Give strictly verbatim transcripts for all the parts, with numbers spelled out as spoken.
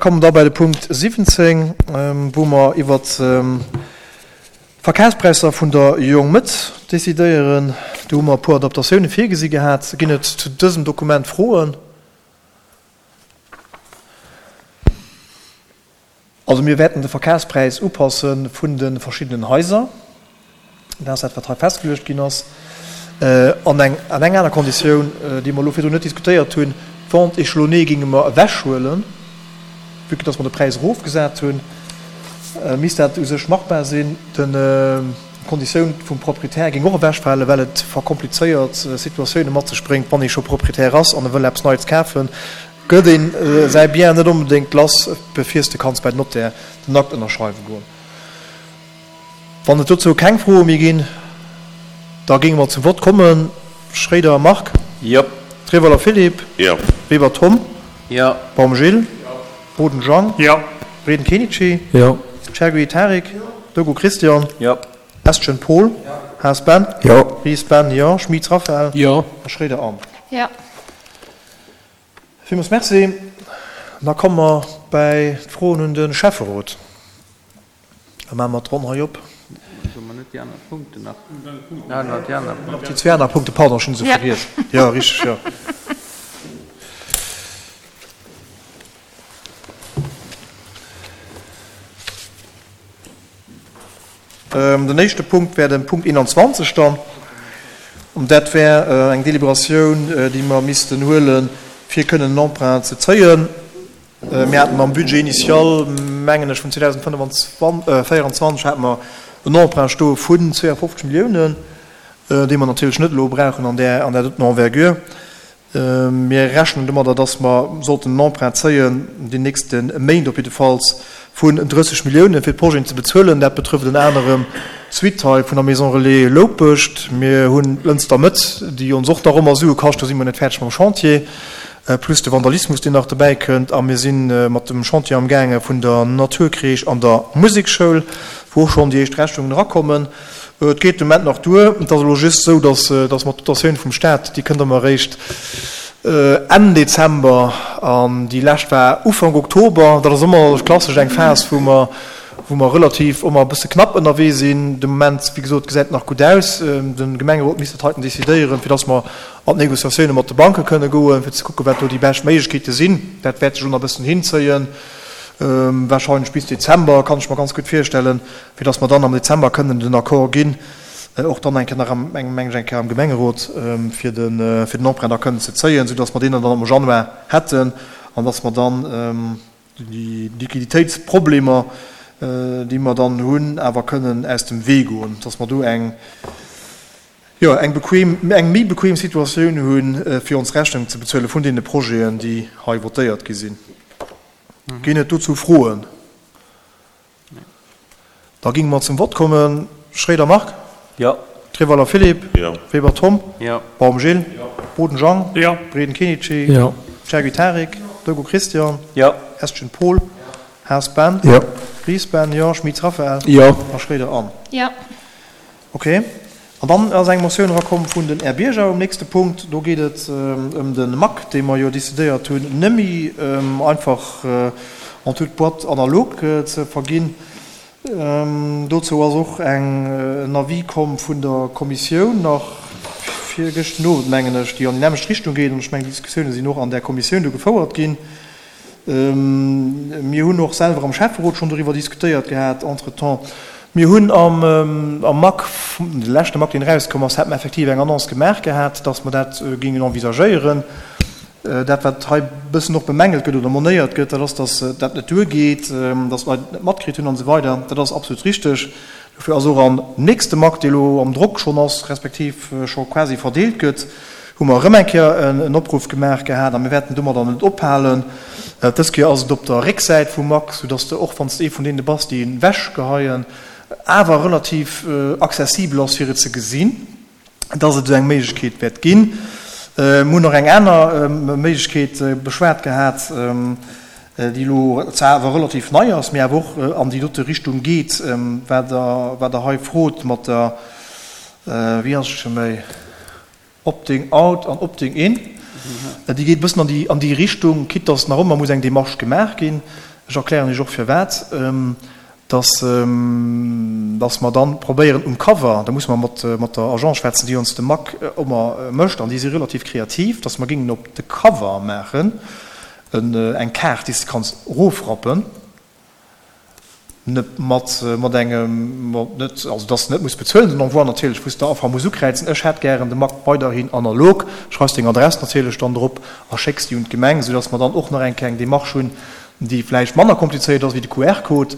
Kommen da bei de Punkt siwwenzéng, wou mer iwwert d'Verkafspräisser vun der Jong Mëtt decidéieren. Do hu mer e puer Adaptatioune virgesi gehat. Ginn et zu dësem Dokument Froen? Also mir wäerten de Verkafspräis upasse vun de verschiddenen Haiser. Dat ass dat, wat hei festgeluecht ginn ass. An eng an eng aner Konditioun, déi mer elo virdrun net diskutéiert hunn, d'Vente échelonnée géinge mer ewechhuelen, vue que dass mer de Präis erofgesat hunn, misst dat u sech machbar sinn. D'Konditioun vum Proprietär géing och ewechfalen, well et verkomplizéiert Situatioune mat sech bréngt, wann ee scho Proprietär ass an e wëll eppes Neits kafen, gëtt ee säi Bien net onbedéngt lass, bevir s de kanns bei den Notaire den Akt ënnerschreiwe goen. Wann et dozou keng Froe méi ginn, da géinge mer zum Vott kommen. Schréider Marc. Jo. Treweiler Philippe. Jo. Weber Tom. Jo. Baum Gilles. Boden Jean. Jo. Breden Kenichi. Jo. Chergui Tarik. Dogo Christian. Jo. Bestgen Paul. Haas Ben. Jo. Ries Ben, jo. Schmit Raphaël. Jo. A Schréider Anne. Jo. Villmools Merci. Da komme mer bäi d'Froen un de Schäfferot. Da maache mer d'Ronn hei op. Déi zwee aner Punkten, pardon, ech hunn se vergiess. Jo, richteg, jo. Den éischte Punkt wär de Punkt eenanzwanzeg dann. An dat wär eng Deliberatioun, déi mer missten huelen, fir kënnen en Emprunt ze zéien. Mir haten am Budget initial, mengen ech, vun zweedausendvéierundzwanzeg hate mer en Emprunt stoe vun zweeënfofzeg Milliounen, dee mer natierlech net elo brauchen an där, an där doten Envergure. Mir rechnen domadder, dass mer sollten en Emprunt zéien, déi nächste Méint op jiddefalls, vun drësseg Milliounen, fir d'Projeten ze bezuelen. Dat betrëfft ënner anerem d'Suite hei vun der Maison Relais Loupescht. Mir hunn d'Lënster Mëtt, déi ons och nach ëmmer Sue kascht, do si mer net fäerdeg mam Chantier, plus de Vandalismus, deen nach dobäi kënnt. A mir si mat dem Chantier amgaange vun der Naturcrèche an der Musekschoul, wou och schonn déi éischt Rechnungen erakommen. Et geet de Moment nach duer. Et ass elo just esou, dass, dass mer d'Dotatioun vum Stat, déi kënnt ëmmer eréischt Enn Dezember an déi lescht war Ufank Oktober. Dat ass ëmmer klassesch eng Phas, wou mer, wou mer relativ ëmmer e bësse knapp ënnerwee sinn. De Moment, wéi gesot, gesäit et nach gutt aus. De Gemengerot misst dat heiten decidéieren, fir dass mer an d'Négociatioune mat de Banke kënne goen, fir ze kucken, wat do déi bescht Méiglechkeete sinn. Dat wäert sech elo nach e bëssen hinzéien, wahrscheinlech bis Dezember, kann ech mer ganz gutt virstellen, fir dass mer dann am Dezember kënnen den Accord ginn, och dann eng Kéier nach am, mengen ech, eng Kéier am Gemengerot, fir de, fir den Emprunt da kënnen ze zéien, soudass mer deen dann am Januar hätten an dass mer dann déi Liquiditéitsproblemer, déi mer dann hunn, awer kënnen aus dem Wee goen, dass mer do eng, jo, eng bequem, eng méi bequem Situatioun hunn, fir ons Rechnung ze bezuele vun deene Projeten, déi hei votéiert gi sinn. Ginn et dozou Froen? Da géinge mer zum Vott kommen. Schréider Marc. Jo. Treweiler Philippe. Jo. Weber Tom. Jo. Baum Gilles. Jo. Boden Jean. Jo. Breden Kenichi. Jo. Chergui Tarik. Dogo Christian. Jo. Estgen Paul. Haas Ben. Jo. Ries Ben, jo. Schmitz Raphaël. Jo. A Schréider Anne. Jo. Ok. An dann ass eng Motioun erakomm vun den Är Bierger um nächste Punkt. Do geet et ëm de Mac, dee mer jo decidéiert hunn, nëmme einfach en toute boîte analogue ze verginn. Dozou ass och eng en Avis komm vun der Kommissioun nach virgëschten Owend, mengen ech, déi an déi nämmlecht Richtung geet. An ech mengen, déi Diskussioune sinn och an där Kommissioun do gefouert ginn. Mir hunn och selwer am Schäfferot schonn doriwwer diskutéiert gehat entretemps. Mir hunn am Mac, de leschte Mac, deen erauskomm ass, hate mer effektiv eng Annonce gemaach gehat, dass mer dat géingen envisagéieren. Dat, wat hei e bëssen och bemängelt gëtt oder monéiert gëtt, dat ass, dass dat net duergeet, dass d'Leit et net matkritt hunn an esou weider. Dat ass absolut richteg. Dofir ass och am nächste Mac, dee elo am Drock schonn ass, respektiv scho quasi verdeelt gëtt, hu mer erëm eng Kéier en Opruff gemaach gehat a mir wäerten domadder net ophalen. Dës Kéier ass et op der Récksäit vum Mac, soudass de och, wann s de ee vun deene bass, déi en ewechgeheien, awer relativ accessibel ass, fir et ze gesinn, dass et esou eng Méiglechkeet wäert ginn. Mir hunn och eng aner Méiglechkeet beschwat gehat, déi elo zwar awer relativ nei ass, mee awer och an déi dote Richtung geet, wat Der, wat Der hei frot mat der, wéi ass et scho méi? Opting out an Opting in, déi geet e bëssen an déi an déi Richtung, quitte dass nach ëmmer muss eng Démarche gemaach ginn. Ech erklären Iech och firwat, dass, dass mer dann probéieren um Cover, da musse mer mat, mat der Agence schwätzen, déi ons de Mac ëmmer mécht, an déi si relativ kreativ, dass mer géingen op de Cover maachen en, eng Kaart, déi s de kanns erofrappen, net mat, mat engem, mat net, also dass de net muss bezuelen, den Envoi natierlech, wou s de einfach muss ukräizen, ech hätt gären de Mac weiderhin analog, schreifs deng Adress natierlech dann drop a schécks déi un d'Gemeng, soudass mer dann och nach eng kleng Démarche hunn, déi vläicht manner komplizéiert ass wéi de Q R-Code.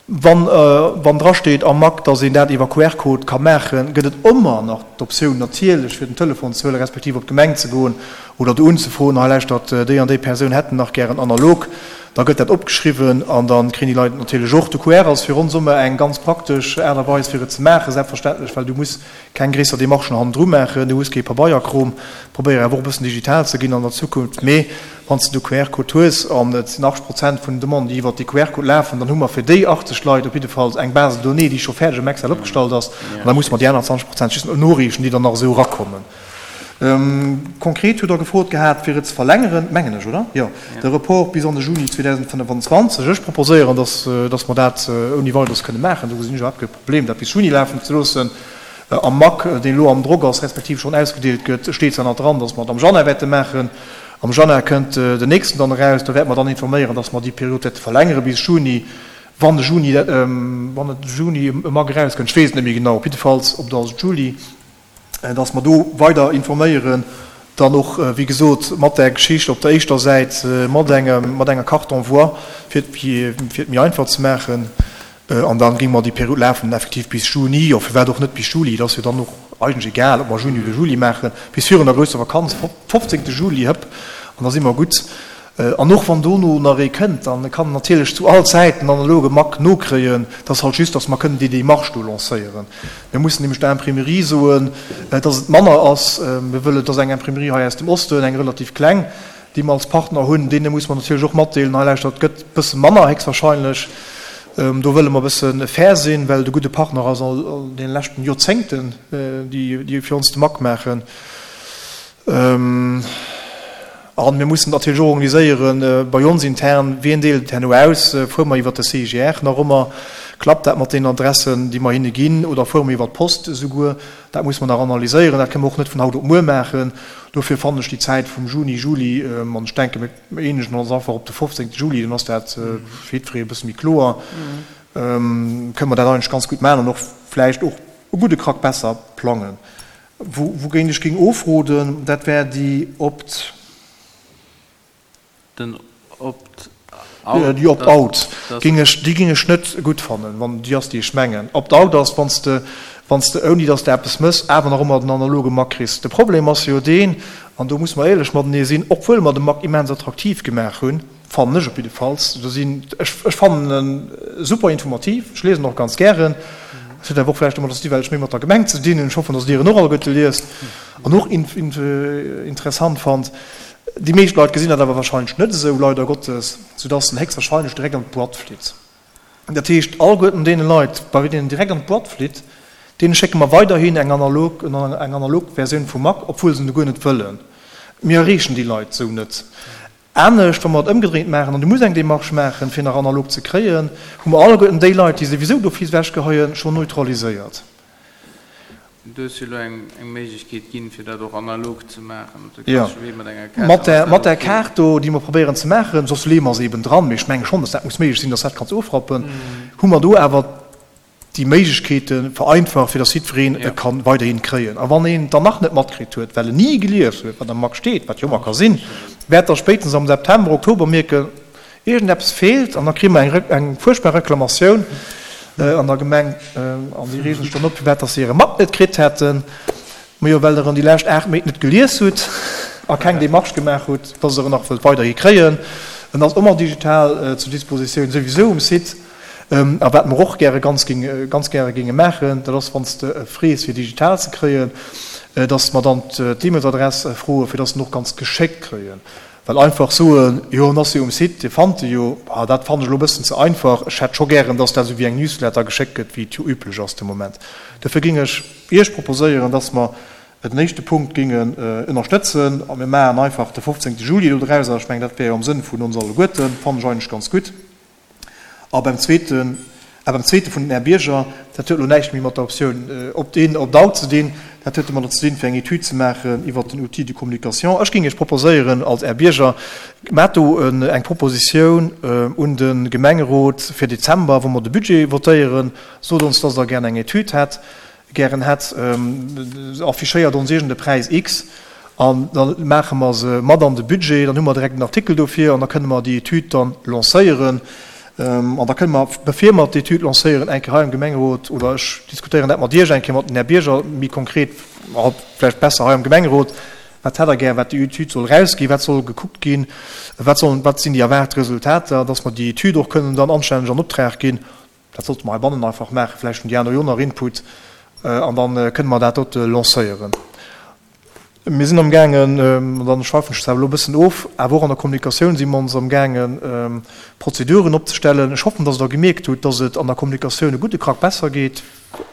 Wann, wann drasteet am Mac, dass een dat iwwer Q R-Code ka maachen, gëtt et ëmmer nach d'Optioun natierlech fir den Telefon ze huelen, respektiv op d'Gemeng ze goen oder do unzefroen, hei lauschtert, déi an déi Persoun hätten nach gären analog. Da gëtt dat opgeschriwwen an da kréien déi Leit natierlech och. De Q R ass fir ons ëmmer eng ganz praktesch Aart a Weis fir et ze maachen, selbstverständlech, well du muss keng gréisser Demarchen hannendru maachen, du hues kee Pabeierkrom. Probéier awer och e bëssen digital ze ginn an der Zukunft, mee wann s de de Q R-Code hues, an et sinn achtzeg Prozent vun den Demanden, déi iwwert dee Q R-Code lafen, dann hu mer fir déi achtzeg Leit op jiddefalls eng Base de données, déi scho fäerdeg am Excel opgestallt ass, an da musse mer déi aner zwanzeg Prozent just nach noreechen, déi dann nach esou erakommen. Konkret hutt Der gefrot gehat, fir et ze verlängeren, mengen ech, oder? Jo, de Report bis an de Juni zweedausendfënnefanzwanzeg. Ech proposéieren, dass, dass mer dat ouni Weideres kënne maachen. Do gesinn ech iwwerhaapt kee Problem, dat bis Juni lafen ze loossen. Am Mac, deen elo am Drock ass, respektiv schonn ausgedeelt gëtt, steet zwar nach dran, dass mer et am Januar wäerte maachen. Am Januar kënnt den nächsten dann eraus. Do wäerte mer dann informéieren, dass mer déi Period wäerte verlängere bis Juni, wann de Juni, wann et Juni e Mac erauskënnt, ech weess et net méi genau, op jiddefalls op der Juli, dass mer do weider informéieren, dann och, wéi gesot, mat där Geschicht op der éischter Säit, mat engem, mat enger Carte d'envoi, fir et, fir et méi einfach ze maachen. An da géinge mer déi Period lafen effektiv bis Juni, jo, firwat och net bis Juli, et ass jo dann och eigentlech egal, ob mer Juni oder Juli maachen, bis virun der grousser Vakanz, fofzéngte Juli, hëpp, an da si mer gutt. An och wann dono nach ee kënnt, da kann en natierlech zu all Zäit den analoge Mac nokréien. Et ass halt just, datt mer kënnen déi Démarche do lancéieren. Mir mussen nämlech der Imprimerie soen, datt et manner ass. Mir wëllen, et ass eng Imprimerie hei aus dem Osten, eng relativ kleng, déi mer als Partner hunn. Deene musse mer natierlech och matdeelen, hei lauschtert, et gëtt e bësse manner héchstwahrscheinlech. Do wëlle mer e bësse fair sinn, well et e gudde Partner ass all deene leschten Joerzéngten, déi fir ons de Mac maachen. A mir mussen natierlech och organiséiere bei ons intern, wien deelt et herno aus? Fuere mer iwwert de C I G R nach ëmmer? Klappt dat mat deenen Adressen, déi mer hinne ginn? Oder fuere mer iwwert d'Post esouguer? Dat musse mer nach analyséieren. Dat kënne mer och net vun haut op muer maachen. Dofir fannen ech déi Zäit vum Juni, Juli, an ech denke mir eenegen ons einfach op de fofzéngte Juli, dann ass dat fir jiddweree e bësse méi kloer, kënne mer dat eigentlech ganz gutt maachen an och vläicht och e gudde Krack besser plangen. Wougéint ech géing ofroden, dat wär déi Opt. Den Opt-out? Déi Opt-out géing ech, déi géing ech net gutt fannen, wann déi ass, déi ech mengen. Opt-out ass, wann s de, wann s de, ouni datt s de eppes mëss, awer nach ëmmer den analoge Mac kriss. De Problem ass jo deen, an do musse mer éierlech matenee sinn, obwuel mer de Mac immens attraktiv gemaach hunn, fannen ech op jiddefalls, do sinn, ech, ech fannen e super informativ, ech liesen och ganz gären, et huet awer och vläicht domadder ze dinn, well ech méi mat der Gemeng ze dinn hunn, ech hoffen, datt Dir en och alleguerte liest an och interessant fannt. Déi meescht Leit gesinn dat awer wahrscheinlech net esou, leider Gottes, soudass en héchstwahrscheinlech direkt an d'Boîte flitt. Dat heescht, alleguerten deene Leit, bei deenen en direkt an d'Boîte flitt, deene schécke mer weiderhin eng analog, eng analog Versioun vum Mac, obwuel se en guer net wëllen. Mir erreechen déi Leit esou net. Anescht, wa mer et ëmgedréint maachen, an du muss eng Démarche maachen, fir nach analog ze kréien, hu mer alleguerten déi Leit, déi souwisou d'office ewechgeheien, schonn neutraliséiert. Du hues jo elo eng Méiglechkeet ginn, fir dat och analog ze maachen, op de Jo, klassesche Wee mat enger Kaart, mat dann ass der, dat mat der ok. Kaart do, déi mer probéieren ze maachen, soss leeë mer se eben dran, mee ech menge schonn, dass dat muss méiglech sinn, dass dat kanns ofrappen, hu mer do awer déi Méiglechkeete vereinfacht, fir dass jiddwereen e Jo. ka weiderhin kréien. A wann een et dann nach net matkritt huet, well en ni gelies huet, wat am Mac steet, wat jo ëmmer ka sinn, wäert der spéitstens am September, Oktober mierken, Iergendeppes feelt an da kréie mer eng eng fuerchtbar Reklamatioun an der Gemeng an déi reegen sech dann op, firwat dass se hire Mapp net kritt hätten. Majo, well Der en déi lescht aacht Méint net gelies hutt a keng Démarche gemaach hutt, dass Der en nach wëllt weiderhi kréien. En ass ëmmer digital zur Dispositioun, souwisou um Site. A wat mer och gäre ganz géing ganz gäre géinge maachen, dat ass, wann s de e frees fir digital ze kréien, dass mer dann d'E-Mailsadress froen, fir dass se en och ganz geschéckt kréien. Well einfach soen, jo en ass jo um Site, Dir fannt e jo, ah dat fannen ech elo e bëssen ze einfach. Ech hätt scho gären, dass dat esou wéi eng Newsletter geschéckt gëtt, wéi et jo üblech ass de Moment. Dofir géing ech Iech proposéieren, dass mer den éischte Punkt géingen ënnerstëtzen a mir maachen einfach de fofzéngte Juli do drauser. Ech mengen, dat wär jo am Sënn vun ons alleguerten, fannen ech eigentlech ganz gutt. A beim zweeten, a beim zweete vun den Här Bierger, dat huet elo näischt méi mat der Optioun opt-in, opt-out ze dinn, dat huet domadder ze dinn, fir eng Etüd ze maachen iwwert den Outil de communication. Ech géing Iech proposéieren als Här Bierger, maacht do eng Propositioun un de Gemengerot fir Dezember, wou mer de Budget votéieren, sot ons, dass Der gär eng Etüd hätt, gären hätt, affichéiert ons iergend e Präis X an da maache mer se mat an de Budget, dann hu mer direkt en Artikel dofir an da kënne mer déi Etüd dann lancéieren. An da kënne mer, bevir mer d'Etüd lancéieren, eng Kéier hei am Gemengerot, oder ech diskutéieren dat mat Iech eng Kéier, mat den Här Bierger méi konkret, vläicht besser hei am Gemengerot, wat hätt Der gär, wat déi Etüd soll erausginn, wat soll gekuckt ginn, wat sollen, wat sinn déi erwaart Resultater, dass mer déi Etüd och kënnen dann anstänneg an Optrag ginn. Dat sollte mer heibannen einfach maachen, vläicht hunn déi aner jo nach Input, an da kënne mer dat dote lancéieren. Mir sinn amgaangen, an dann schweifen ech zwar elo e bëssen of, awer och an der Kommunikatioun si mer ons amgaangen, Prozeduren opzestellen. Ech hoffen, dass Der gemierkt hutt, dass et an der Kommunikatioun e gudde Krack besser geet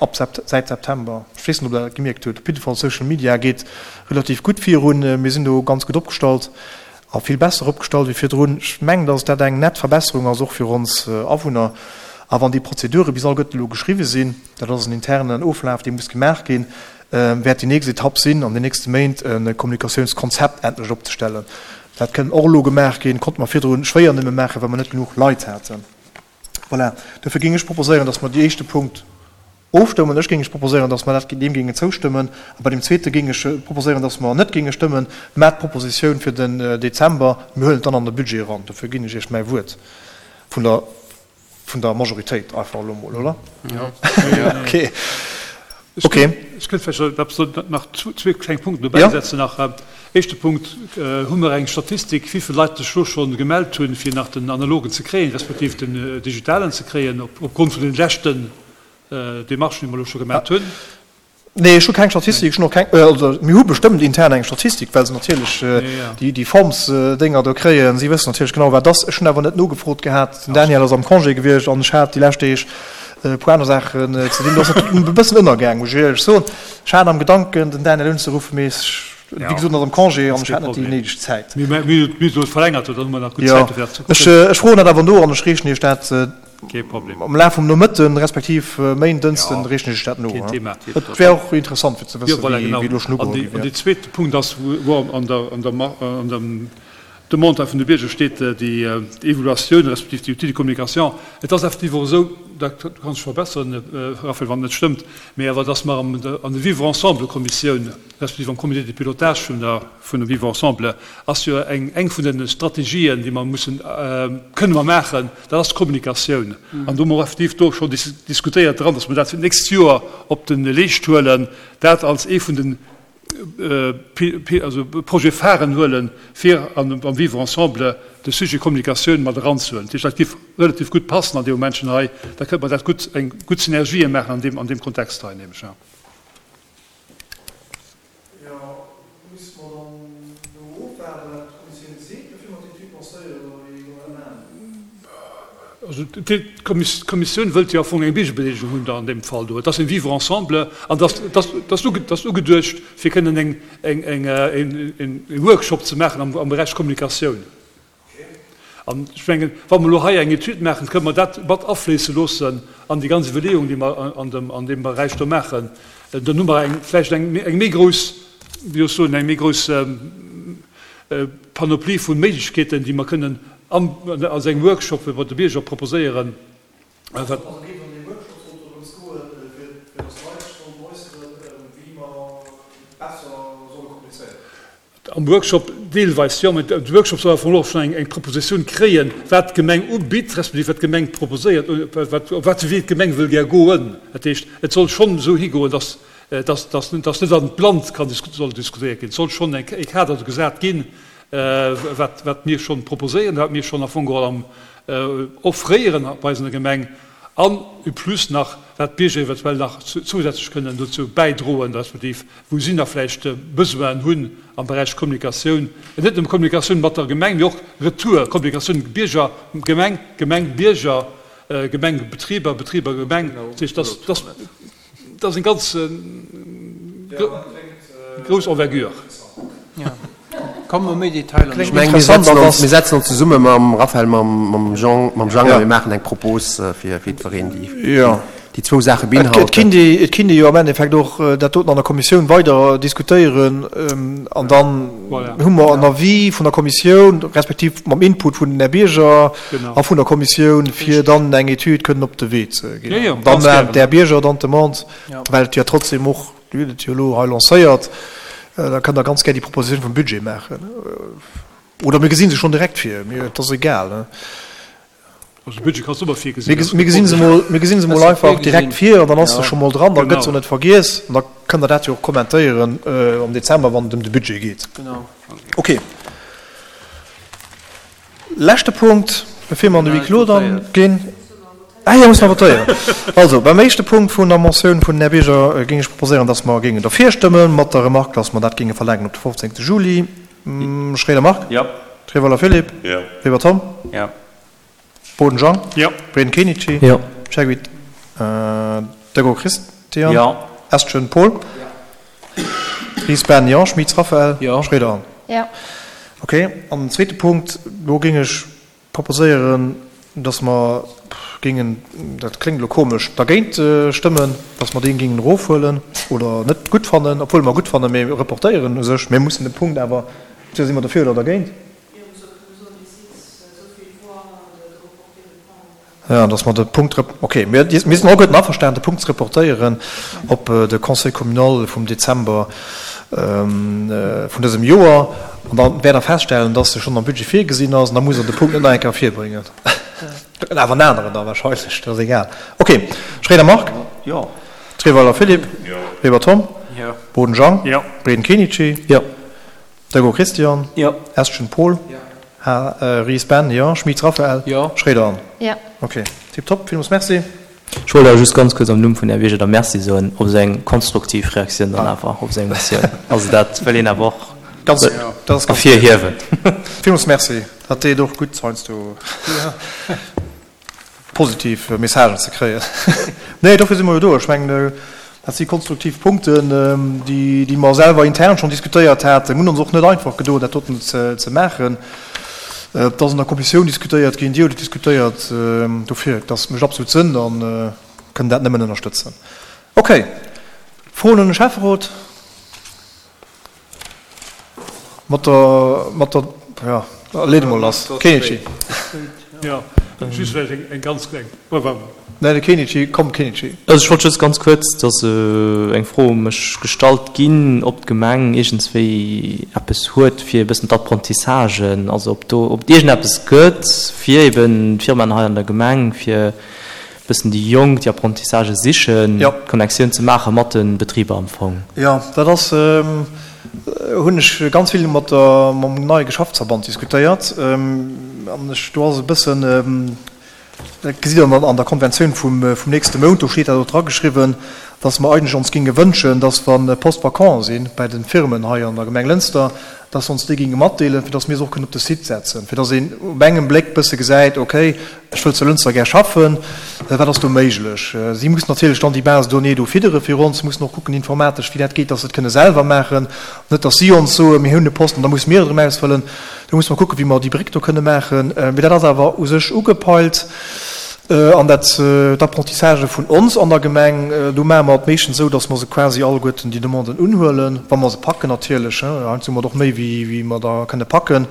ab säit September. Ech weess net, ob Der dat gemierkt hutt. Op jidde Fall, Social Media geet relativ gutt virun. Mir sinn do ganz gutt opgestallt a vill besser opgestallt wéi virdrun. Ech mengen, dass dat eng nett Verbesserung ass, och fir ons Awunner. A wann déi Prozedure bis alleguerten elo geschriwwe sinn, dat ass en internen Oflaf, dee muss gemaach ginn, wäert déi nächst Etapp sinn, an den nächste Méint e Kommunikatiounskonzept endlech opzestellen. Dat kënn och elo gemaach ginn, konnte mer virdru schwéier nëmme maachen, well mer net genuch Leit haten. Voilà, dofir géing ech proposéieren, dass mer dee éischte Punkt ofstëmmen. Ech géing proposéieren, dass mer dat, deem géingen zoustëmmen. A bei deem zweete géing ech proposéieren, dass mer net géinge stëmmen, mä d'Propositioun fir den Dezember, mir huelen et dann an de Budget eran. Dofir ginn ech Iech mäi Wuert vun der, vun der Majoritéit einfach elo emol, oder? Jo. Okay. Okay. Ech kënnt vläicht nach zwee kleng Punkten dobäi setzen nach. Éischte Punkt, Hu mer eng Statistik, wéi vill Leit sech elo schonn gemellt hunn, fir nach den analogen ze kréien, respektiv den digitalen ze kréien, opgrond vun den leschten Demarchen, déi mer elo scho gemat hunn? Nee, ech hu keng Statistik, ech hunn och keng, also mir hu bestëmmt intern eng Statistik, well se natierlech déi, déi Forms-Dénger do kréien. Si wëssen natierlech genau, wat ass. Ech hunn awer net nogefrot gehat. Den Daniel ass am Congé gewiescht an ech hat déi lescht Deeg e puer aner Saachen ze dinn. Do ass et e bëssen ënnergaang, muss ech éierlech soen. Ech hat am Gedanken, den Daniel unzeruffen, mee ech, wéi gesot, en ass am Congé an ech hat net déi néideg Zäit. Mir hunn et elo verlängert, dann hu mer nach gutt Jo, Zäit, fir dat ze kucken. Ech froen dat awer no an ech reechen Iech dat Kee Problem. Am Laf vum Nomëtten, respektiv Méinden, Dënschden reechen ech dat no. Keen Thema. Et wär och interessant fir ze Jo, wëssen, voilà, wéi genau. elo schonn An ugeholl déi, gi an wär. dee zweete Punkt ass, wou an der, an der, an dem Demande vun de Bierger steet, déi Evaluatioun respektiv déi Outil de communication. Et ass effektiv och esou, da du kanns dech verbesseren, Raphaël, wann et net stëmmt, mee awer dass mer am, an der Vivre-ensemble-Kommissioun respektiv am Comité de pilotage vun der, vun dem Vivre ensemble ass jo eng, eng vun de Strategien, déi mer mussen, kënne mer maachen, dat ass d'Kommunikatioun. An do hu mer och effektiv do scho diskutéiert dran, dass mer dat fir d'nächst Joer op de Leescht huelen, dat als ee vun de also Projet pharen huelen, fir am Vivre ensemble de Sujet Kommunikatioun mat eranzehuelen. Dat heescht, dat géif relativ gutt passen an deem Momentchen hei. Da kënnt mer dat gutt, eng gutt Synergie maachen an deem, an deem Kontext hei nämlech. Jo, misste mer dann elo ofwaarden, wat d'Kommissioun seet, bevir mer d'Etüd lancéieren, oder wéi solle mer dat maachen? Also d'Kommissioun wëllt jo am Fong eng Biergerbedeelegung hunn da an deem Fall do. Et ass en Vivre ensemble an dat ass ugeduecht, fir kënnen e Workshop ze maachen am Beräich Kommunikatioun. An ech mengen, wa mer elo hei eng Etüd maachen, kënnen mer dat mat afléisse loossen an déi ganz Iwwerleeung, déi mer an deem Beräich do maachen. Dann hu mer vläicht eng méi grouss, wéi soll ech soen, eng méi grouss Panoplie vu Méiglechkeeten, déi mer kënnen als engem Workshop wéi mer de Bierger proposéieren. Also geet an deem Workshop sollt dorëms goen, fir dass d'Leit sech sollen äusseren, wéi mer besser solle kommunizéieren. Am Workshop deelweis jo, mä de Workshop soll am Fong och schonn eng Propositioun kréien, wat d'Gemeng ubitt, respektiv wat d'Gemeng proposéiert, op wat fir Wee d'Gemeng wëll gär goen. Dat heescht, et soll schonn esou higoen, dass dass net an d'Blannt kann soll diskutéiert ginn. Et soll schonn e Kader gesat ginn, wat wat mir schonn proposéieren, wat mir schonn am Fong geholl am offréieren bei eis an der Gemeng an en plus nach, wat d'Bierger eventuell nach zousätzlech kënnen dozou bäidroen, respektiv wou si nach vläicht Besoinen hunn am Beräich Kommunikatioun, net nëmme Kommunikatioun mat der Gemeng, mee och Retour, Kommunikatioun Bierger, Gemeng, Gemeng, Bierger, Gemeng, Betriber, Betriber, Gemeng. Dat heescht, dass, dass, dat ass eng ganz grouss Envergure. Komme mer méi Detailer Ech mengen, mir setzen ons, mir setzen ons zesumme mam Raphaël, mam, mam Jean, mam Jang a mir maachen eng Propos fir, fir jiddwereen, déi, déi zwou Saache beinhalten. Et kinnt ee, et kinnt ee jo am Endeffekt och dat doten an der Kommissioun weider diskutéieren an dann hu mer en Avis vun der Kommissioun, respektiv mam Input vun den Här Bierger a vun der Kommissioun, fir dann eng Etüd kënnen op de Wee ze ginn. Dann maachen d'Här Bierger dann d'Demande, well et jo trotzdem och, Dir hutt et jo elo hei lancéiert, da kënnt Der ganz gär déi Propositioun vum Budget maachen. Oder mir gesi se schonn direkt vir, mir, et ass egal. Also de Budget kanns du ëmmer virgesinn. Mir gesi se mol, mir gesi se mol einfach direkt vir an dann ass se scho mol dran, da gëtt se och net vergiess an da kënnt Der dat jo och kommentéieren am Dezember, wann et ëm de Budget geet. Okay. Leschte Punkt, bevir mer an de Huis clos dann ginn. Ah jo, musse mer votéieren. Also, beim éischte Punkt vun der Motioun vun den Här Bierger géing ech proposéieren, dass mer géingen derfir stëmmen, mat der Remarque, dass mer dat géinge verlaangen op de fofzéngte Juli. Schroeder Marc? Jo. Treweiler Philippe? Jo. Weber Tom? Jo. Boden Jean? Jo. Breden Kenichi? Jo. Cherguit Degaux Christian? Jo. Estgen Paul? Jo. Ries Ben? Jo. Schmitz Raphaël? Jo. Schroeder Anne? Jo. Ok. An den zweete Punkt, do géing ech proposéieren, dass mer géingen, dat kléngt elo komesch, dergéint stëmmen, dass mer dee géingen erofhuelen oder net gutt fannen, obwuel mer gutt fannen, mee reportéieren u sech. Mir mussen de Punkt awer, entweder si mer derfir oder dergéint. Jo, dass mer de Punkt, ok, mir sinn alleguerten averstanen, de Punkt ze reportéieren op de Conseil communal vum Dezember vun dësem Joer. An da wäert Der feststellen, dass e schonn am Budget virgesinn ass. An da musst Der de Punkt net nach eng Kéier virbréngen. Awer en aneren da wahrscheinlech, dat ass egal. Ok, Schroeder Marc. Jo. Treweiler Philippe. Jo. Weber Tom. Jo. Boden Jean. Jo. Breden Kenichi. Jo. Degaux Christian. Jo. Estgen Paul. Jo. Ries Ben, jo. Schmitz Raphaël. Jo. Schroeder Anne. Jo. Ok, tiptop, villmools Merci. Ech wollt awer just ganz kuerz am Numm vun Här Bierger da Merci soen op esou eng konstruktiv Reaktioun dann awer op seng Motioun. Also dat wëll een awer och Ganz, dat ass ganz ervirhiewen. Villmools Merci. Dat deet och gutt heiansdo positiv Messagen ze kréien. Nee, dofir si mer jo do. Ech mengen, dat si konstruktiv Punkten, déi, déi mer selwer intern schonn diskutéiert haten. Mir hunn ons och net einfach gedoen, dat doten ze, ze maachen. Et ass an der Kommissioun diskutéiert ginn, Dir hutt et diskutéiert. Dofir, dat mécht absolut Sënn a kënnen dat nëmmen ënnerstëtzen. Okay. Froen un de Schäfferot? Mat der, mat der, jo, leet emol lass. Kenichi. Jo, just vläicht eng, eng ganz kleng, pardon. Nee, de Kenichi, komm Kenichi. Also ech wollt just ganz kuerz, et ass eng Fro u mech gestallt ginn, ob d'Gemeng iergendswéi eppes huet fir e bëssen d'Apprentissagen, also ob do, ob et iergendeppes gëtt fir eben d'Firmaen hei an der Gemeng, fir e bëssen déi Jonk, déi Apprentissagë sichen, d'Connectioun ze maache mat de Betriber am Fong. Jo, dat ass, hunn ech ganz vill mat der, mam neie Geschäftsverband diskutéiert an ech, do ass e bëssen, Dat gesitt Der an der Konventioun vum nächste Mount, do steet dat och drageschriwwen, dass mer eigentlech ons géinge wënschen, dass wa Postes vacants si bei de Firmen hei an der Gemeng Lënster, dass se ons déi géinge matdeelen, fir dass mir se och kënnen op de Site setzen, fir dass een op engem Bléck bësse gesäit, okay, ech wëll zu Lënster gär schaffen, wat ass do méiglech. Si mussen natierlech dann déi Base de données do fiddere fir ons, mussen och kucken informatesch, wéi dat geet, dass se et kënne selwer maachen, net dass si ons soen, mir hunn e Posten, da musse mir et erëm ausfëllen. Do musse mer kucken, wéi mer déi Bréck do kënne maachen. Mee dat ass awer u sech ugepeilt. An dat, d'Apprentissagë vun ons an der Gemeng, do maache mer et meeschtens esou, datt mer se quasi alleguerten déi Demanden unhuelen, wa mer se packen natierlech. Heiansdo hu mer et och méi, wéi mer der kënne packen.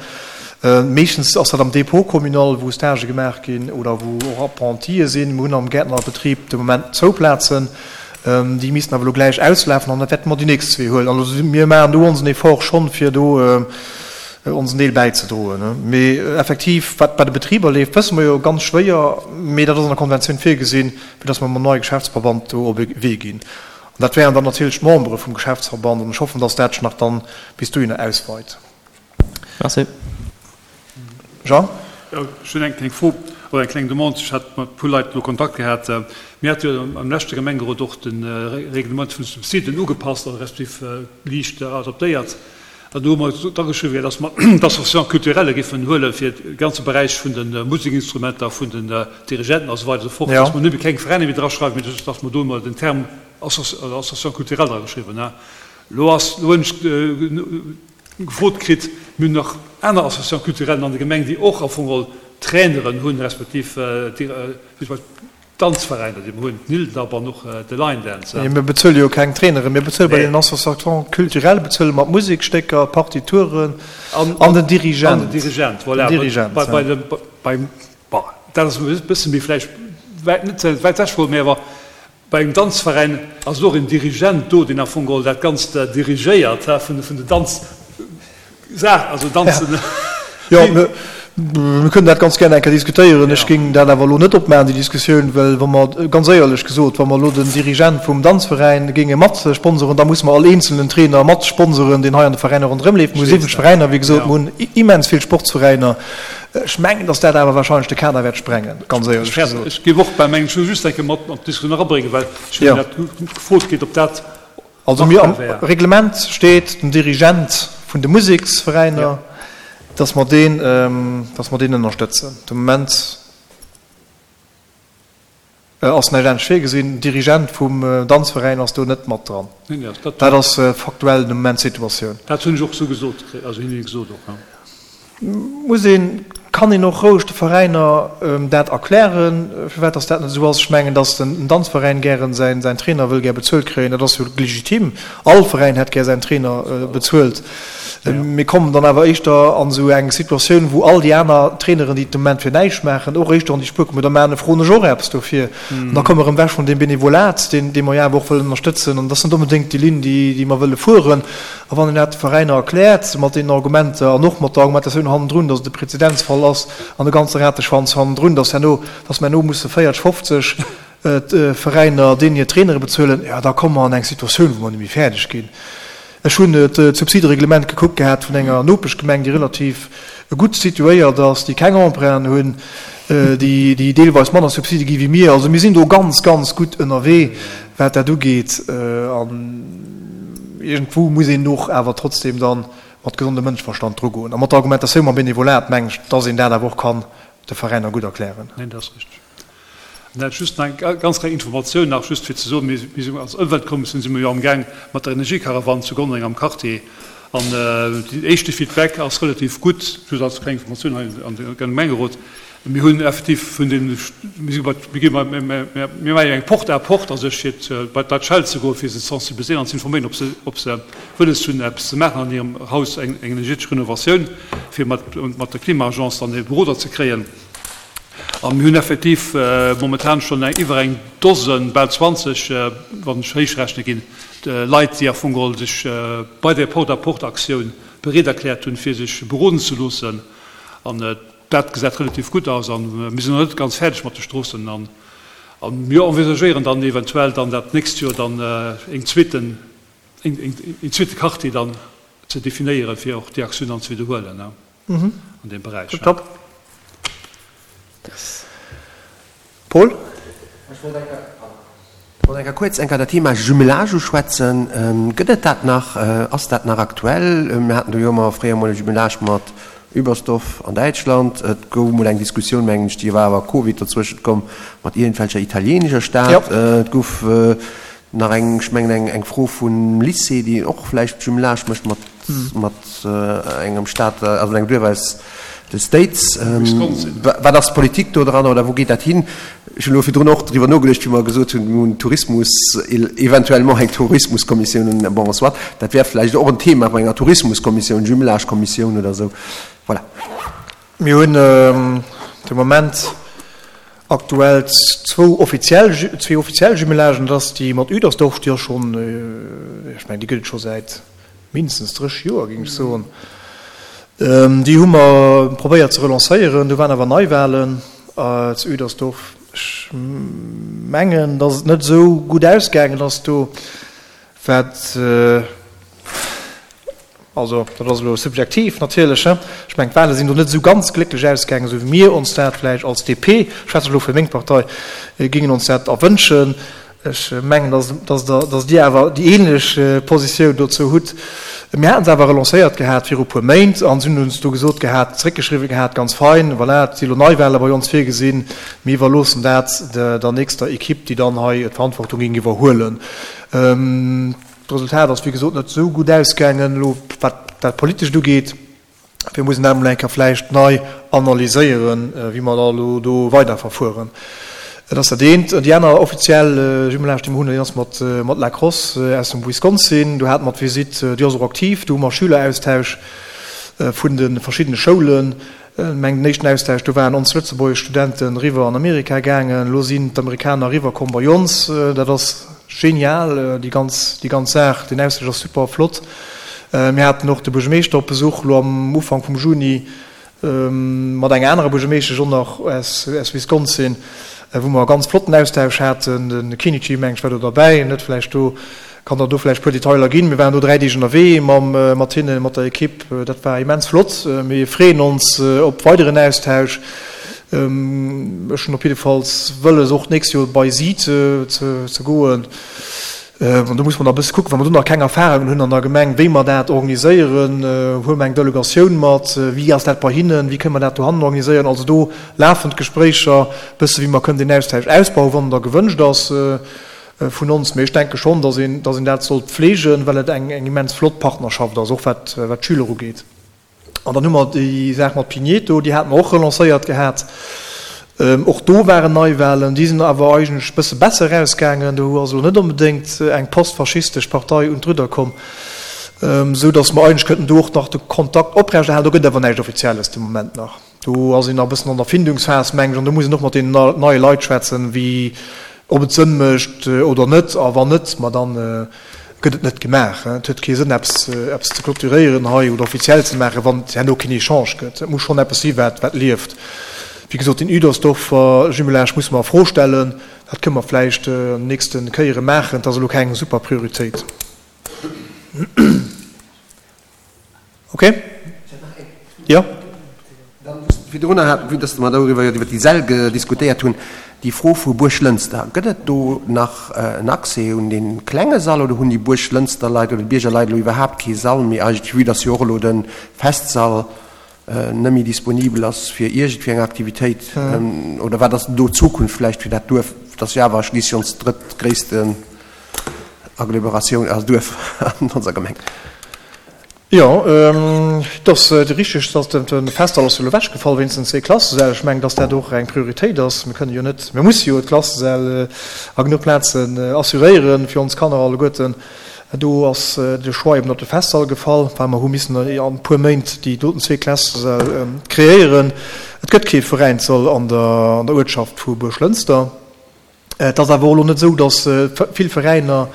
Meeschtens ass dat am Dépôt communal, wou Stagë gemaach ginn oder wou och Apprentie sinn. Mir hunn am Gäertnerbetrib de Moment zwou Plazen. Déi missten awer elo gläich auslafen an da wäerte mer déi nächst zwee huelen. Also mir maachen do onsen Effort schonn, fir do onsen Deel bäizedroen. Mee effektiv, wat bei de Betriber leeft, wësse mer jo, ganz schwéier, mee dat ass an der Konventioun virgesinn, fir datt mer mam neie Geschäftsverband do op e Wee ginn. An dat wären dann natierlech d'Membere vum Geschäftsverband an ech hoffen, datt dat sech nach dann bis dohinner ausweit. Merci. Jean? Jo, ech hunn eng kleng Fro oder eng kleng Demande. Ech hat mat e puer Leit elo Kontakt gehat. Mir hate jo am leschte Gemengerot och de Reglement vun de Subsiden ugepasst, also respektiv liicht adaptéiert. An do hu mer drageschriwwen, dass mer d'Associations culturelles géifen huelen, fir de ganze Beräich vun de Musekinstrumenter, vun den Dirigenten a sou weider a sou fort, dass mer nëmme keng Veräiner méi draschreiwen, mee just, dass mer do emol den Term Association culturelle drageschriwwen hunn. Elo ass, elo hunn ech gefrot kritt, mir hunn nach aner Associations culturellen an der Gemeng, déi och am Fong geholl Traineren hunn, respektiv wéi zum Beispill d'Danzveräiner, déi mer hunn, d'Nildab an och de Line Dance. Mee mir bezuele jo keng Traineren, mir bezuele bei den Associations culturelles bezuele mer d'Musekstécker, d'Partituren an den Dirigent. An den Dirigent, voilà. Den Dirigent, ja. Bei, bei, beim, bon, dat ass e bësse méi vläicht wäit, net ze wäit ewech geholl, mee awer bei engem Danzveräin ass et och en Dirigent do, deen am Fong geholl dat Ganzt dirigéiert, vun de Danzsaach, also Danzen. Jo, mir kënnen dat ganz gär eng Kéier diskutéieren. Ech géing dat awer elo net opmaachen, déi Diskussioun, well wa mer, ganz éierlech gesot, wa mer elo den Dirigent vum Danzveräin géinge mat sponsoren, da musse mer all eenzelnen Trainer mat sponsoren, deen hei an de Veräiner ronderëm leeft. Mir hu siwwenzeg Veräiner, wéi gesot, mir hunn immens vill Sportsveräiner. Ech mengen, datt dat awer wahrscheinlech de Kader wäert sprengen, ganz éierlech gesot. Ech géif och bei mengen, ech wëll just eng Kéier mat an d'Diskussioun erabréngen, well ech hunn dat gefrot kritt, ob dat Also mir am Reglement steet den Dirigent vun de Museksveräiner, datt mer deen, datt mer deen ënnerstëtzen. De Moment ass näischt anescht virgesinn. Den Dirigent vum Danzveräin ass do net mat dran. Dat ass faktuell de Moment d'Situatioun. Dat hunn ech och esou gesot kritt, also hinne gesot och. Muss een, kann een och roueg de Veräiner dat erklären, firwat dass dat net esou ass. Ech mengen, dass den Danzveräin gären säin Trainer wëll gär bezuelt kréien, dat ass jo legitim. All Veräin hätt gär säin Trainer bezuelt. Mir kommen dann awer éischter an esou eng Situatioun, wou all déi aner Traineren, déi et de Moment fir näischt maachen, och éischter an déi Spuer kommen, da maachen, froen ech och eppes dofir. An da komme mer erëm ewech vun deem Benevolat, deen, dee mer jo awer och wëllen ënnerstëtzen. An dat ass net onbedéngt déi Linn, déi, déi mer wëlle fueren. A wann een dat de Veräiner erkläert, mat deenen Argumenter an och mat der Argumentatioun hannendrun, datt et e Präzedenzfall ass an e ganze Rateschwanz hannendrun, datt herno, datt mer herno musse véierteg, fofzeg Veräiner deenen hir Trainere bezuelen, jo da komme mer an eng Situatioun, wou mer net méi fäerdeg ginn. Ech hunn d'Subsidereglement gekuckt gehat vun enger Nopeschgemeng, déi relativ gutt situéiert ass, déi keng Emprunten hunn, déi deelweis manner Subside gi wéi mir. Also mir sinn do ganz, ganz gutt ënnerwee, wat dat ugeet. An iergendwou muss een och awer trotzdem da mat gesondem Mënscheverstand drugoen. A mat der Argumentatioun mam Benevolat, mengen ech, dass een dat awer och kann de Veräiner gutt erklären. Neen, dat ass richteg. An dat just nach eng ganz kleng Informatioun nach, just fir ze soen, mir sinn als Ëmweltkommissioun si mir jo amgaang mat der Energiekarawann zu Gonnereng am Quartier an deen éischte Feedback ass relativ gutt, just als kleng Informatioun hei an de Gemengerot. Mir hunn effektiv vun den, mir si bei, mir gi bei, mir maache jo eng Porte à porte a sech fir bei d'Leit schelle ze goen, fir se ze sensibiliséieren an ze informéieren, ob se, ob se wëlles hunn eppes ze maachen an hirem Haus, eng energetesch Renovatioun, fir mat, mat der Klima-Agence dann e Beroder ze kréien. A mir hunn effektiv momentan schonn eng iwwer eng Dosen, bal zwanzeg, wann ech héich rechne ginn, Leit, déi am Fong geholl sech bei där Porte-à-porte-Aktioun bereet erkläert hunn, fir sech beroden ze loossen. An dat gesäit relativ gutt aus. A mir sinn nach net ganz fäerdeg mat de Stroossen. A mir envisagéieren dann eventuell dann dat nächst Joer dann een zweeten, een zweete Quartier dann ze definéieren, fir och déi Aktioun dann ze widderhuelen an deem Beräich. Top. Paul? Ech wollt eng Kéier kuerz eng Kéier dat Thema Jumelage uschwätzen. Gëtt et dat nach? Ass dat nach aktuell? Mir haten do jo ëmmer fréier emol e Jumelage mat Übersdorf an Däitschland. Et gouf emol eng Diskussioun, mengen ech, déi war awer Covid dozwëschent komm, mat iergendwelcher italienescher Stad. Et gouf nach eng, ech mengen eng Fro vum Lycée, déi och vläicht Jumelage mécht mat mat engem Staat, also engem Duerf aus de States. Wat ass d'Politik do dran oder wou geet dat hin? Ech hunn elo virdrun och driwwer nogeduecht, wéi mer gesot hunn, mir hunn Tourismus, eventuellement eng Tourismuskommissioun, bon, soit, dat wär vläicht och en Thema bei enger Tourismuskommissioun, Jumelagekommissioun oder esou. Voilà. Mir hunn de Moment aktuell zwou offiziell, zwee offiziell Jumelagen, dat ass déi mat Üdersdorf, déi ass schonn, ech mengen, déi gëtt et scho säit mindestens dréch Joer, géing ech soen. Déi hu mer probéiert ze relancéieren. Do waren awer Neiwahlen zu Üdersdorf. Ech mengen, datt et net esou gutt ausgaangen ass do, wat, also dat ass elo subjektiv natierlech, he, ech mengen, d'Wahle sinn do net esou ganz glécklech ausgaangen, esou wéi mir ons dat vläicht als D P, ech schwätze elo fir meng Partei, géingen ons dat erwënschen. Ech mengen, dass dass Dir awer déi ähnlech Positioun dozou hutt. Mir haten se awer relancéiert gehat viru puer Méint an si hunn ons do gesot gehat, zréckgeschriwwen gehat, ganz fein, voilà, et si elo Neiwahle bei ons virgesinn, mir iwwerloossen dat der nächster Equipe, déi dann hei d'Verantwortung géing iwwerhuelen. D'Resultat ass wéi gesot net esou gutt ausgaangen, elo wat dat Politescht ugeet. Mir mussen dat emol eng Kéier vläicht nei analyséieren, wéi mer da elo do weiderverfueren. Dat ass dat eent. Déi aner offiziell Jumelage, déi mer hunn, déi ass mat mat La Crosse aus dem Wisconsin. Do hate mer d'Visitt, déi ass och aktiv. Do hu mer Schüleraustausch vun de verschiddene Schoulen. Ech mengen, den éischten Austausch, do waren ons lëtzebuergesch Studenten eriwwer an Amerika gaangen. Elo sinn d'Amerikaner eriwwer komm bei ons. Dat ass genial, déi ganz, déi ganz Saach. Deen Austausch ass super flott. Mir haten och de Buergermeeschter op Besuch elo am Ufank vum Juni mat enger anerer Buergermeeschtesch och nach aus Wisconsin, wou mer e ganz flotten Austausch haten. De Kenichi, meng ech, war do derbäi. En huet vläicht do, kann der do vläicht e puer Detailer ginn. Mir waren do dräi Deeg ënnerwee mam, mat hinnen, mat der Ekipp. Dat war immens flott. Mir freeën ons op weideren Austausch. Ech hunn op jiddefalls wëlles, och d'nächst Joer bei si ze, ze goen. An do muss mer nach e bësse kucken, wa mer do nach keng Erfahrungen hunn an der Gemeng, wéi mer dat organiséieren. Huele mer eng Delegatioun mat? Wéi ass dat bei hinnen? Wéi kënne mer dat dohannen organiséieren? Also do lafen d'Gespréicher e bësse wéi mer kënnen deen Austausch ausbauen, wann en da gewënscht ass vun ons. Mee ech denke schonn, datt een, datt een dat sollt pflegen, well et eng immens flott Partnerschaft ass, och wat d'Schüler ugeet. An dann hu mer déi Saach mat Pigneto, déi hate mer och relancéiert gehat. Och do waren Neiwahlen, déi sinn awer eigentlech e bësse besser erausgaangen. Do ass elo net onbedéngt eng postfaschistesch Partei un d'Rudder komm, esou datt mer eigentlech kënnten do och nach de Kontakt oprechterhalen. Do gëtt awer näischt Offizielles de Moment nach. Do ass een nach e bëssen an der Findungsphas, mengen ech, an do muss een och mat deenen neie Leit schwätzen, wéi, ob et Sënn mécht oder net. A wann net, ma dann gëtt et net gemaach. Et huet kee Sënn, eppes eppes ze clôturéieren hei oder offiziell ze maachen, wann et herno keen Echange gëtt. Et muss schonn eppes si wat wat lieft. Wéi gesot, deen Uedersdorfer Jumelage musse mer a Fro stellen. Dat kënne mer vläicht an den nächste Kéiere maachen. Et ass elo keng super Prioritéit. Ok? Jo? Dann just virdrunner hat, vue dass mer doriwwer jo iwwer déi Säll diskutéiert hunn, déi Fro vu Buerglënster. Gëtt et do nach en Accès un dee klenge Sall oder hunn déi Buerglënster Leit oder d'Bierger Leit elo iwwerhaapt kee Sall méi eigentlech, vue dass jo och elo de Festsall net méi disponibel ass fir iergendwéi eng Aktivitéit? Oder wat ass do d'Zukunft vläicht fir dat Duerf? Dat ass jo awer schliisslech ons drëttgréissten Agglomeratioun, also Duerf an onser Gemeng. Jo, et ass richteg, dass de Festsall ass jo elo ewechgefall wéinst den zwee Klassesäll. Ech mengen, dass dat och eng Prioritéit ass. Mir kënnen jo net, mir musse jo d'Klassesäll a genuch Plazen assuréieren fir ons Kanner alleguerten. Do ass de Choix eben op de Festsall gefall, well mer hu missen an e puer Méint déi doten zwee Klassesäll kreéieren. Et gëtt kee Veräinssall an der Uertschaft vu Buerglënster. Et ass awer och elo net esou, datt vill Veräiner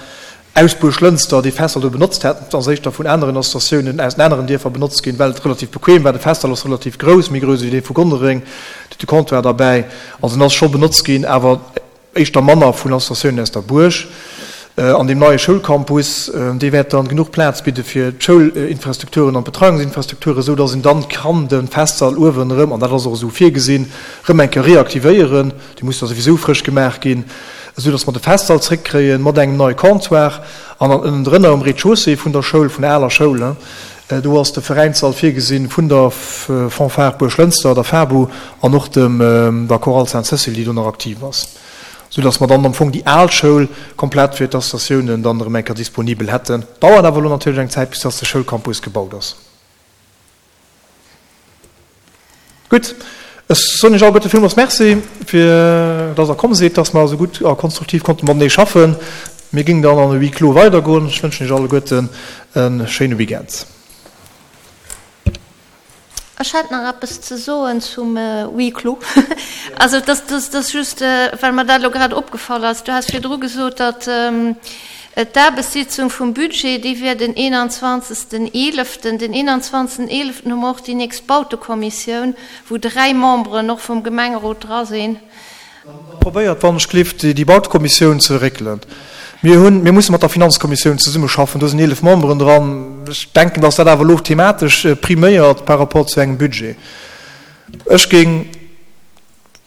aus Buerglënster dee Festsall do benotzt hätten. Et ass éischter vun aneren Associatiounen aus den aneren Dierfer benotzt ginn, well et relativ bequem war. De Festsall ass relativ grouss, méi grouss ewéi dee vu Gonnereng, et huet de Comptoir derbäi. Also en ass scho benotzt ginn, awer éischter manner vun Associatiounen aus der Buerg. An deem neie Schoulcampus, dee wäert dann genuch Plaz bidde fir d'Schoulinfrastrukturen an d'Betreiungsinfrastrukturen, esou datt een dann kann de Festsall uewen erëm, an dat ass och esou virgesinn, erëm eng Kéier reaktivéieren. Dee muss da souwisou frësch gemaach ginn, esou datt mer de Festsall zréckkréien mat engem neie Comptoir. An dann ënnendrënner um Rez-de-chaussée vun der Schoul, vun der aler Schoul, do ass de Veräinssall virgesinn vun der Fanfare Buerglënster, der FABU, an och dem der Chorale Sainte-Cécile, déi do nach aktiv ass. Sou dass mer dann am Fong déi al Schoul komplett fir d'Associatiounen dann erëm eng Kéier disponibel hätten. Dauert awer elo natierlech eng Zäit, bis dass de Schoulcampus gebaut ass. Gutt, ech soen Iech alleguerte villmools Merci, fir dass Der komm sidd, dass mer esou gutt a konstruktiv konnte matenee schaffen. Mir géingen dann an e Huis clos weidergoen. Ech wënschen Iech alleguerten e schéine Weekend. Ech hätt nach eppes ze soen zum Huis clos. Also et ass just, well mer dat elo grad opgefall ass. Du has virdru gesot, datt d'Aarbechtssitzung vum Budget, déi wier den eenanzwanzegsten eeleften. Den eenanzwanzegsten eeleften hu mer och déi nächst Bautekommissioun, wou dräi Memberen och vum Gemengerot dra sinn. Probéiert wann ech gelift déi Bautekommissioun ze réckelen. Mir hunn, mir musse mat der Finanzkommissioun zesummeschaffen, do sinn eelef Memberen dran. Ech denken, datt dat awer elo thematesch priméiert par rapport zu engem Budget. Ech géing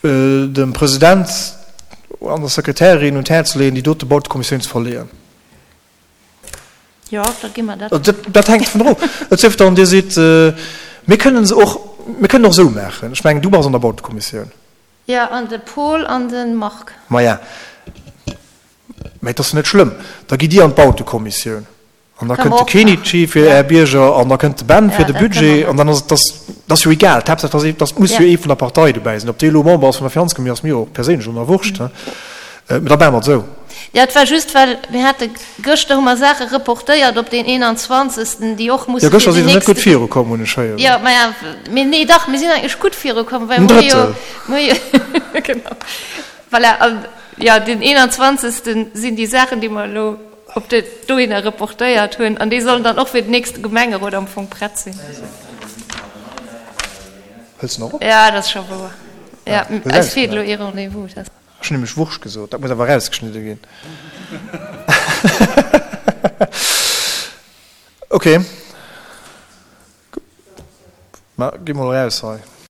dem President an der Sekretärin un d'Häerz leeën, déi dote Bautekommissioun ze verleeën. Jo, da gi mer dat. Dat hänkt dovun of. Et sief dann, Dir sidd, mir kënnen se och, mir kënnen och esou maachen. Ech mengen, du bass an der Bautekommissioun. Jo, an de Paul an de Marc. Maja, mä et ass jo net schlëmm. Da gitt Dir an d'Bautekommissioun. An da kënnt de Kenichi fir Är Bierger an da kënnt de Ben fir de Budget an dann ass et, dat ass jo egal. D'Haaptsaach, dass ee, dass muss jo ee vun der Partei dobäi sinn. Ob dee elo Member ass vun der Finanzkommissioun, ass mir och perséinlech elo nach wurscht. Mä da maache mer et esou. Jo, et war just, well mir hate gëschter hu mer Saache reportéiert op deen eenanzwanzegsten, déi och musse fir den nächste. Jo, gëschter si se net gutt virukomm, hunn ech héieren. Jo, maja, mee nee, dach, mir sinn eigentlech gutt virukomm, well mir hu jo, mir hu jo, genau, voilà, an jo, den eenanzwanzegsten sinn déi Saachen, déi mer elo op de dohinner reportéiert hunn, an déi sollen dann och fir den nächste Gemengerot am Fong prett sinn. Hëls de nach op? Jo, dat ass scho wouer. Jo, eis feelt elo ee Rendez-vous. Ech hunn nämlech Wurscht gesot, dat muss awer erausgeschnidde ginn. Ok, ma gi mol eraus hei.